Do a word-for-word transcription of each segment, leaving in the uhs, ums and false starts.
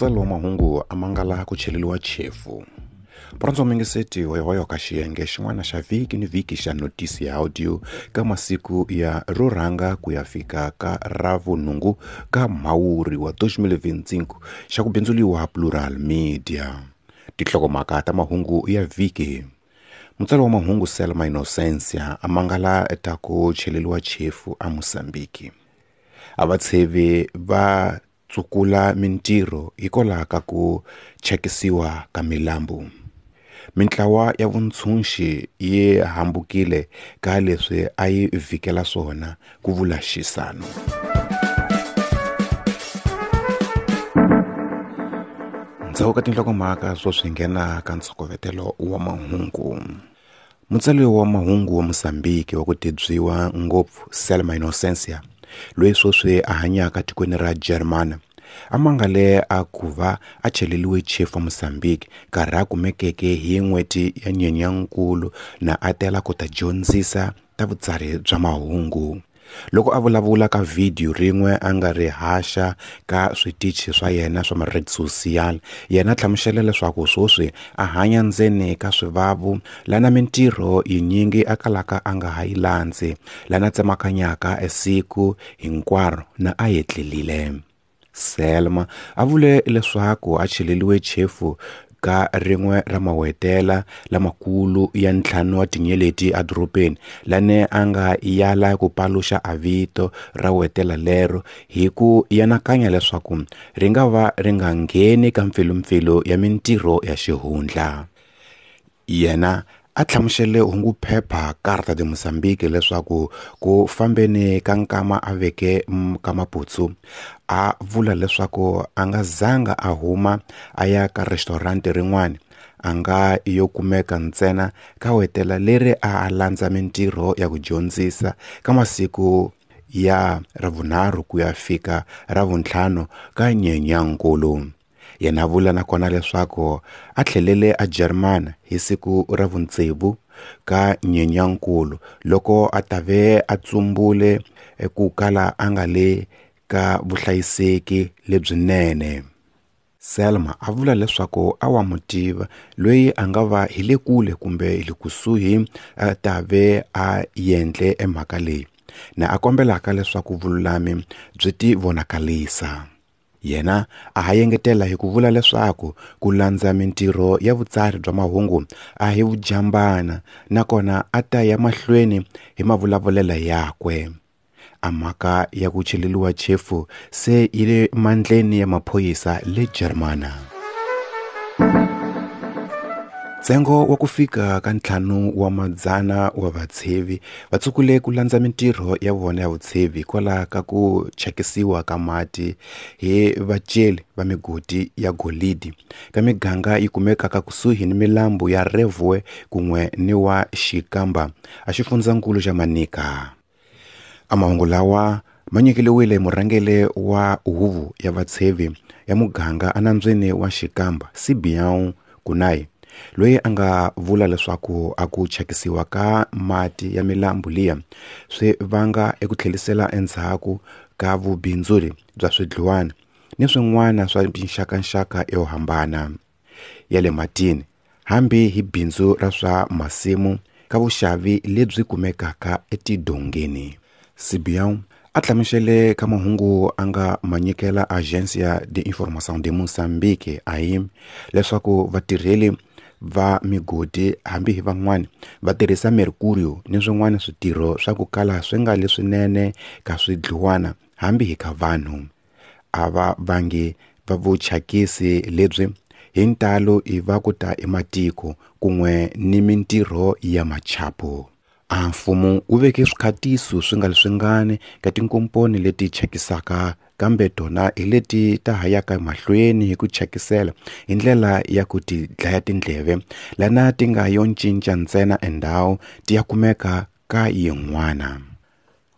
Mutsari wa mahungu a mangala ku cheleriwa chefu. Murhandzi wa mingiseti hoyohoyo ka xiyenge xin'wana xa vhiki ni vhiki xa notisi ya audio ka masiku ya ro rhanga ku ya fika ka ravunhungu ka Mhawuri wa twenty twenty-five xa ku bindzuriwa Plural Media. Tinhlokomhaka ta mahungu ya vhiki. Mutsari wa mahungu Selma Innocentia a mangala ta ku cheleriwa chefu a Mozambique. A vatshevi va tsukula mintirho hikwalaho ka ku chekisiwa ka milambu. Mintlawa ya vuntshunxi yi hambukile ka leswi a yi vhikela swona, ku vula Xisano. Ndzhaku ka tinhlokomhaka swo swi nghena ka ntshokovetelo wa mahungu. Mutsari wa mahungu wa Mozambique wa ku tibyiwa ngopfu Selma Innocentia, loyi sweswi a hanyaka tikweni ra Germany, a mangale a ku va a cheleriwe chefu Mozambique nkarhi a kumekeke hi n'hweti ya Nyenyankulu na a tela ku ta dyondzisa ta vutsari bya mahungu. Loko a vulavula ka vhidiyo rin'we a nga ri haxa ka switichi swa yena swa ma-red social, yena a hlamusela leswaku sweswi a hanya ndzeni ka swivavu lana mintirho yinyingi a kalaka a nga ha yi landzi, lana tsemakanyaka esiku hinkwaro na a etlelile. Selma a vule leswaku a cheleriwe chefu ka rin'we ra mawetela lamakulu ya ntlhanu wa tinyeleti edorobeni lane a nga yala ku paluxa a vito ra wetela lero hi ku yanakanya leswaku ri nga va ri nga ngheni ka mpfilumpfilu ya mintirho ya xihundla. Yena a hlamusele hunguphepha Carta de Mozambique leswaku ku fambeni ka nkama a veke ka Maputsu, a vula leswaku a nga zanga a huma a ya ka restaurant rin'wana, a nga yo kumeka ntsena ka wetela leri a a landza mintirho ya ku dyondzisa ka masiku ya ravunharhu ku ya fika ravuntlhanu ka Nyenyankulu. Yena vula nakona leswaku a tlhelele a Germany hi siku ra vutsevu ka Nyenyankulu loko a tave a tsumbule ku kala a nga le ka vuhlayiseki lebyinene. Selma a vula leswaku a wa mutiva loyi a nga va hi le kule kumbe hi le kusuhi a tave a endle emhaka leyi, na a kombelaka leswaku vululami byi ti vonakalisa. Yena a ha engetela hi ku vula leswaku ku landza mintirho ya vutsari bya mahungu a hi vujambana, nakona a ta ya mahlweni hi mavulavulelo yakwe. A mhaka ya ku cheleriwa chefu se yi le mandleni ya maphorisa le Germany. Ntsengo wa ku fika ka ntlhanu wa madzana wa vatshevi va tsukule ku landza mintirho ya vona ya vutshevi hikwalaho ka ku chakisiwa ka mati hi vaceli va migodi ya golidi ka miganga yi kumekaka kusuhi ni milambu ya Revue kun'we ni wa Xikamba a xifundzankulu xa Manica. A mahungu lawa ma nyikeriwile murhangeri wa huvo ya vatshevi ya muganga enambyeni wa Xikamba, Sibião Kunai, loyi a nga vula leswaku a ku chakisiwa ka mati ya milambu liya swi vanga eku tlhelisela endzhaku ka vubindzuri bya swidluwana ni swin'wana swa tinxakanxaka yo hambana ya le matini, hambi hi bindzu ra swa masimu ka vuxavi lebyi kumekaka etidongeni. Sibião a hlamusele ka mahungu a nga ma nyikela Agência de Informação de Moçambique A I M leswaku vatirheli va migodi hambi hi van'wana va tirhisa mercurio ni swin'wana switirho swa ku kala swi nga leswinene ka swidluwana hambi hi ka vanhu. A va vangi va vuchakisi lebyi hi ntalo i va ku ta ematiko kun'we ni mintirho ya machapo. A mfumo wu veke swikhatiso swi nga leswingani ka tinkomponi leti chakisaka, kambe tona hi leti ta ha yaka mahlweni hi ku chakisela hi ndlela ya ku ti dlaya tindleve, lana ti nga yo cinca ntsena endhawu ti ya kumeka ka yin'wana.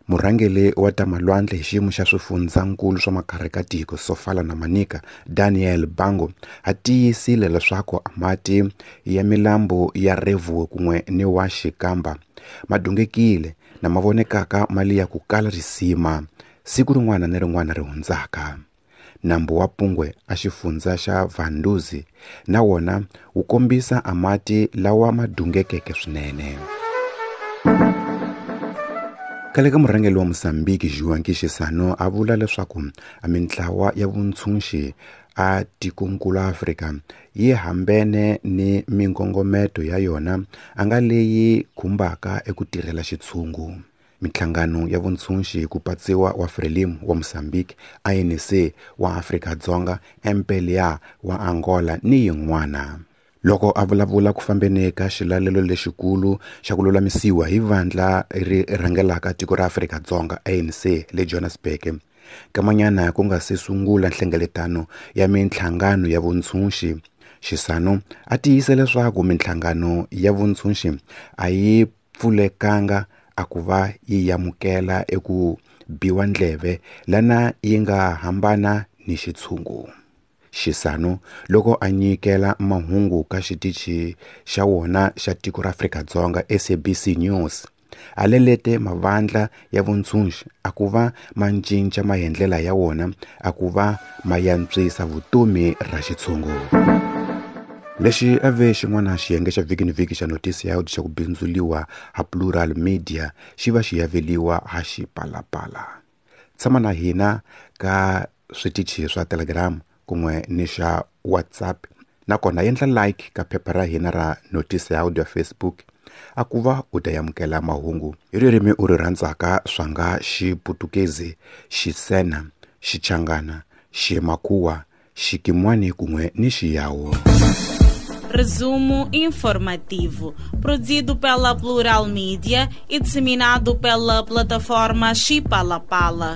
Murhangeri wa ta malwandle hi xiyimo xa swifundzankulu swa makarhi ka tiko Sofala na Manica, Daniel Bango, a tiyisile leswaku mati ya milambu ya Revue kun'we ni wa Xikamba ma dungekile na ma vonekaka mali ya ku kala risima siku rin'wana ni rin'wana ri hundzaka. Nambu wa Pungwe a xifundza xa Vanduzi na wona wu kombisa a mati lawa ma dungekeke swinene. Khale ka murhangeri wa Mozambique Joaquim Chissano a vula leswaku a mintlawa ya vuntshunxi a tikonkulu Afrika yi hambene ni minkongometo ya yona a nga leyi khumbaka eku tirhela xitshungu. Minhlangano ya vuntshunxi ku patsiwa wa Frelimo wa Mozambique, A N C wa Afrika-Dzonga, M P L A wa Angola ni yin'wana. Loko a vulavula ku fambeni ka xilalelo lexikulu xa ku lulamisiwa hi vandla ri rhangelaka tiko ra Afrika-Dzonga A N C le Johannesburg, kamanyana ku nga se sungula nhlengeletano ya minhlangano ya vuntshunxi, Chissano a tiyisa leswaku minhlangano ya vuntshunxi a yi pfulekanga a ku va yi amukela eku biwa ndleve lana yi nga hambana ni xitshungu. Chissano loko a nyikela mahungu ka xitichi xa wona xa tiko ra Afrika-Dzonga S A B C News, a lelete mavandla ya vuntshunxi a ku va ma cinca maendlela ya wona a ku va ma yantswisa vutomi ra xitshungu. Lexi a ve xin'wana xiyenge xa vhiki ni vhiki xa notisi ya xa ku bindzuliwa ha Plural Media xi va xi yaveliwa ha Xipalapala. Tshama na hina ka switichi swa Telegram kun'we ni xa WhatsApp, nakona endla like ka phepha ra hina ra notisi ya audio Facebook a ku va u ta amukela mahungu hi ririmi u ri rhandzaka swa nga Xiputukezi, Xisena, Xichangana, Ximakhuwa, Xikimwani kun'we ni Xiyawo. Resumo informativo, produzido pela Plural Media e disseminado pela plataforma Xipalapala.